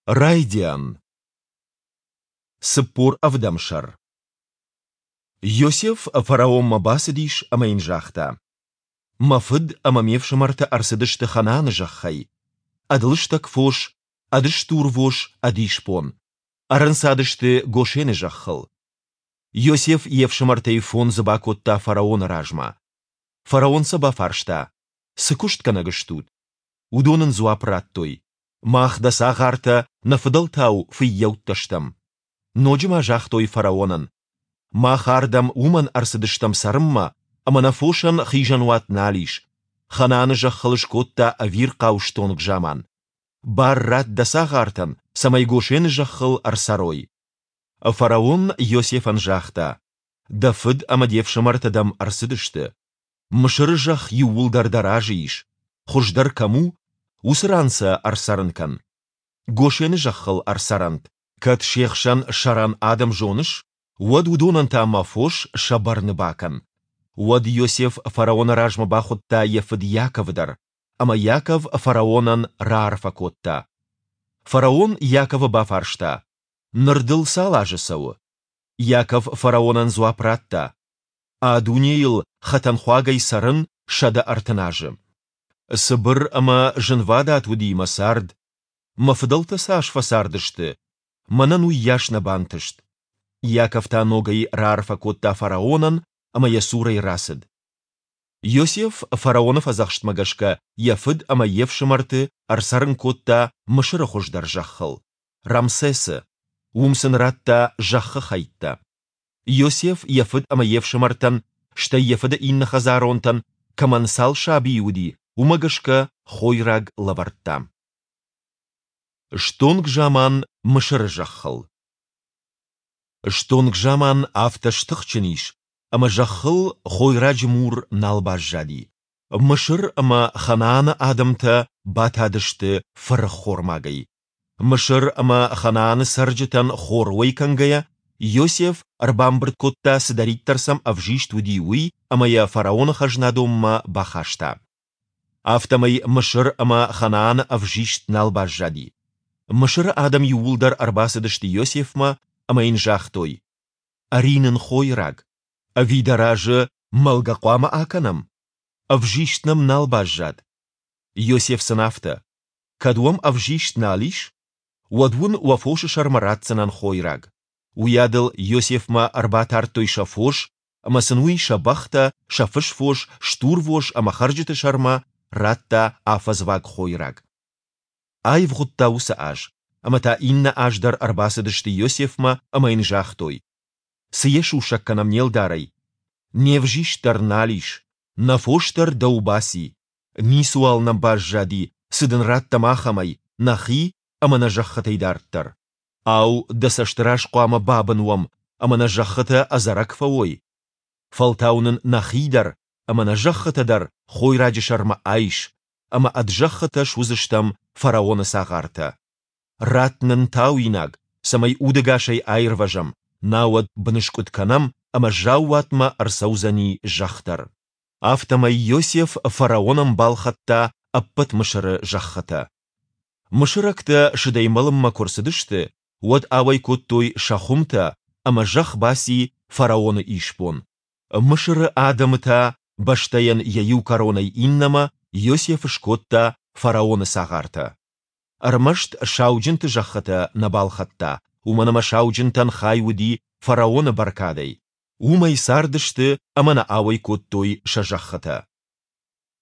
Райдиан. 47 сӕр. Иосиф фараонмӕ бацыдис ӕмӕ йын загъта: Мӕ фыд ӕмӕ ме фсымӕртӕ ӕрцыдысты Ханааны зӕххӕй, ӕд лыстӕг фос, ӕд стурвос, ӕд исбон. Ӕрӕнцадысты Гошены зӕххыл. Иосиф йе фсымӕртӕй фондзы бакодта фараоны размӕ. Фараон сӕ бафарста: Цы куыстгӕнӕг стут? Уыдон ын дзуапп радтой: Мах дӕ цагъартӕ, нӕ фыдӕлтау фыййӕуттӕ стӕм. Ноджы ма загътой фараонӕн: Мах ардӕм уымӕн ӕрцыдыстӕм цӕрынмӕ, ӕмӕ нӕ фосӕн хизӕнуат нал ис. Ханааны зӕххыл скодта ӕвирхъау стонг заман. Бар ратт дӕ цагъартӕн, цӕмӕй Гошены зӕххыл ӕрцӕрой. Фараон Иосифӕн загъта: Дӕ фыд ӕмӕ де фсымӕртӕ дӕм ӕрцыдысты. Мысыры зӕхх иууылдӕр дӕ разы ис, хуыздӕр кӕм у, уыцы ран сӕ ӕрцӕрын кӕн. Гошены зӕххыл ӕрцӕрӕнт. Кӕд се хсӕн сӕрӕн адӕм зоныс, уӕд уыдонӕн та мӕ фос сӕ бӕрны бакӕн. Уӕд Иосиф фараоны размӕ бахуыдта йӕ фыд Иаковы дӕр, ӕмӕ Иаков фараонӕн раарфӕ кодта. Фараон Иаковы бафарста, Ныр дыл цал азы цӕуы? Иаков фараонӕн дзуапп радта, А дунейыл хӕтӕнхуагӕй цӕрын 130 азы. Цыбыр ӕмӕ зынвадат уыди мӕ цард. Мӕ фыдӕлтӕ цас фӕцардысты, мӕнӕн уыйас нӕ бантыст. Иаков та ногӕй раарфӕ кодта фараонӕн ӕмӕ йӕ цурӕй рацыд. Иосиф фараоны фӕдзӕхстмӕ гӕсгӕ йӕ фыд ӕмӕ йе фсымӕрты ӕрцӕрын кодта Мысыры хуыздӕр зӕххыл, Рамсесы. Уым сын радта зӕххы хӕйттӕ. Иосиф йӕ фыд ӕмӕ йе фсымӕртӕн, стӕй йӕ фыды иннӕ хӕдзаронтӕн, кӕмӕн цал сабийы уыди, уымӕ гӕсгӕ хойраг лӕвӕрдта. Стонг заман Мысыры зӕххыл. Стонг заман афтӕ стыхджын ис, ӕмӕ зӕххыл хойраджы мур нал баззади. Мысыр ӕмӕ Ханааны адӕмтӕ батадысты фырӕххормагӕй. Мысыр ӕмӕ Ханааны цӕрджытӕн хор уӕй кӕнгӕйӕ, Иосиф ӕрбамбырд кодта, цыдӕриддӕр сӕм ӕвзист уыди, уый ӕмӕ йӕ фараоны хӕзнадонмӕ бахаста. Афтӕмӕй Мысыр ӕмӕ Ханааны ӕвзист нал баззади. Мысыры адӕм иууылдӕр ӕрбацыдысты Иосифмӕ ӕмӕ йын загътой, Ӕри нын хойраг. Ӕви дӕ разы мӕлгӕ хъуамӕ акӕнӕм? Ӕвзист нӕм нал баззад. Иосиф сын афтӕ, Кӕд уӕм ӕвзист нал ис, уӕд уын уӕ фосы сӕрмӕ ратдзынӕн хойраг. Уыйадыл Иосифмӕ ӕрбатардтой сӕ фос, ӕмӕ сын уый сӕ бӕхтӕ, сӕ фысвос, стурвос ӕмӕ хӕрджыты сӕрмӕ радта афӕдзваг хойраг. Аивгъуыдта уыцы аз, ӕмӕ та иннӕ аз дӕр ӕрбацыдысты Иосифмӕ ӕмӕ йын загътой, Цы йӕ сусӕг кӕнӕм не лдарӕй? Не взист дӕр нал ис, нӕ фос дӕр дӕу баци. Ницыуал нӕм баззади, цы дын раттӕм ахӕмӕй, нӕхи ӕмӕ нӕ зӕххытӕй дарддӕр. Ау, дӕ цӕсты раз хъуамӕ бабын уӕм ӕмӕ нӕ зӕххытӕ ӕдзӕрӕг фӕуой? Фӕлтау нын нӕхи дӕр ӕмӕ нӕ зӕххытӕ дӕр хойраджы сӕрмӕ айс, ӕмӕ ӕд зӕххытӕ суыдзыстӕм фараоны цагъартӕ. Ратт нын тауинаг, цӕмӕй удӕгасӕй аирвӕзӕм, науӕд быныскъуыд кӕнӕм ӕмӕ заууатмӕ ӕрцӕудзӕни зӕхх дӕр. Афтӕмӕй Иосиф фараонӕн балхӕдта ӕппӕт Мысыры зӕххытӕ. Мысырӕгтӕ сыдӕй мӕлынмӕ куы рцыдысты, уӕд ауӕй кодтой сӕ хуымтӕ, ӕмӕ зӕхх баци фараоны исбон. Мысыры адӕмы та бӕстӕйӕн йӕ иу кӕронӕй иннӕмӕ Иосиф скодта фараоны цагъартӕ. Ӕрмӕст сауджынты зӕххытӕ нӕ балхӕдта, уымӕн ӕмӕ сауджынтӕн хай уыди фараоны бӕркадӕй. Уымӕй цардысты ӕмӕ нӕ ауӕй кодтой сӕ зӕххытӕ.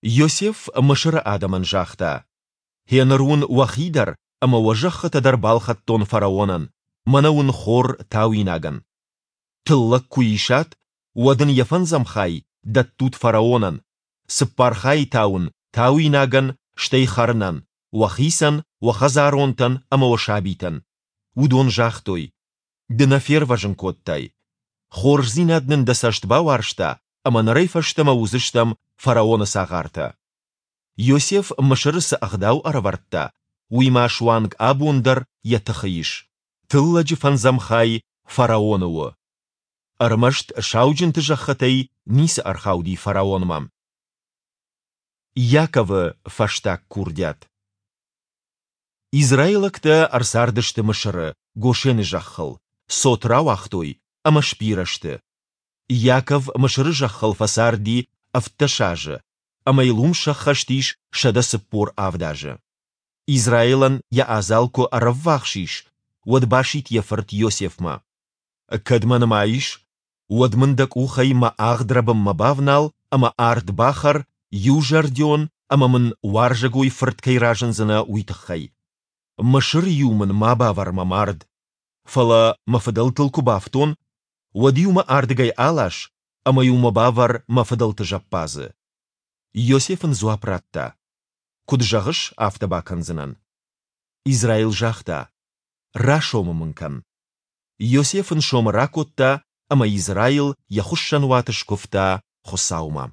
Иосиф Мысыры адӕмӕн загъта, Гъеныр уын уӕхи дӕр ӕмӕ уӕ зӕххытӕ дӕр балхӕдтон фараонӕн, мӕнӕ уын хор тауинагӕн. Тыллӕг куы исат, уӕд ын йӕ фӕндзӕм хай дӕттут фараонӕн, цыппар хайы та уын тауинагӕн, стӕй хӕрынӕн, уӕхицӕн, уӕ хӕдзаронтӕн ӕмӕ уӕ сабитӕн. Уыдон загътой, Ды нӕ фервӕзын кодтай. Хорздзинад нын дӕ цӕст бауарзта, ӕмӕ нырӕй фӕстӕмӕ уыдзыстӕм фараоны цагъартӕ. Иосиф Мысыры цы ӕгъдау ӕрӕвӕрдта, уый ма суанг абон дӕр йӕ тыхы ис, тыллӕджы фӕндзӕм хай фараоны у. Ӕрмӕст сауджынты зӕххытӕй ницы ӕрхауди фараонмӕ. Иаковы фӕстаг курдиат. Израилӕгтӕ ӕрцардысты Мысыры, Гошены зӕххыл, цот рауагътой ӕмӕ сбирӕ сты. Иаков Мысыры зӕххыл фӕцарди 17 азы, ӕмӕ йыл уым сӕххӕст ис 147 азы. Израилӕн йӕ адзал куы ӕрӕввахс ис, уӕд басидт йӕ фырт Иосифмӕ. Кӕд мӕ нымайыс, уӕд мын дӕ къухӕй мӕ агъдрӕбынмӕ бавнал ӕмӕ ард бахӕр, иузӕрдион ӕмӕ мын уарзӕгой фырт кӕй разындзынӕ, уый тыххӕй. Мысыры-иу мын ма бавӕр мӕ мард, фӕлӕ мӕ фыдӕлтыл куы бафтон, уӕд-иу мӕ ардыгӕй алас ӕмӕ-иу мӕ бавӕр мӕ фыдӕлты зӕппадзы. Иосиф ын дзуапп радта, Куыд зӕгъыс, афтӕ бакӕндзынӕн. Израил загъта, Расомы мын кӕн. Иосиф ын сомы ракодта, ӕмӕ Израил йӕ хуыссӕнуаты скуывта Хуыцаумӕ.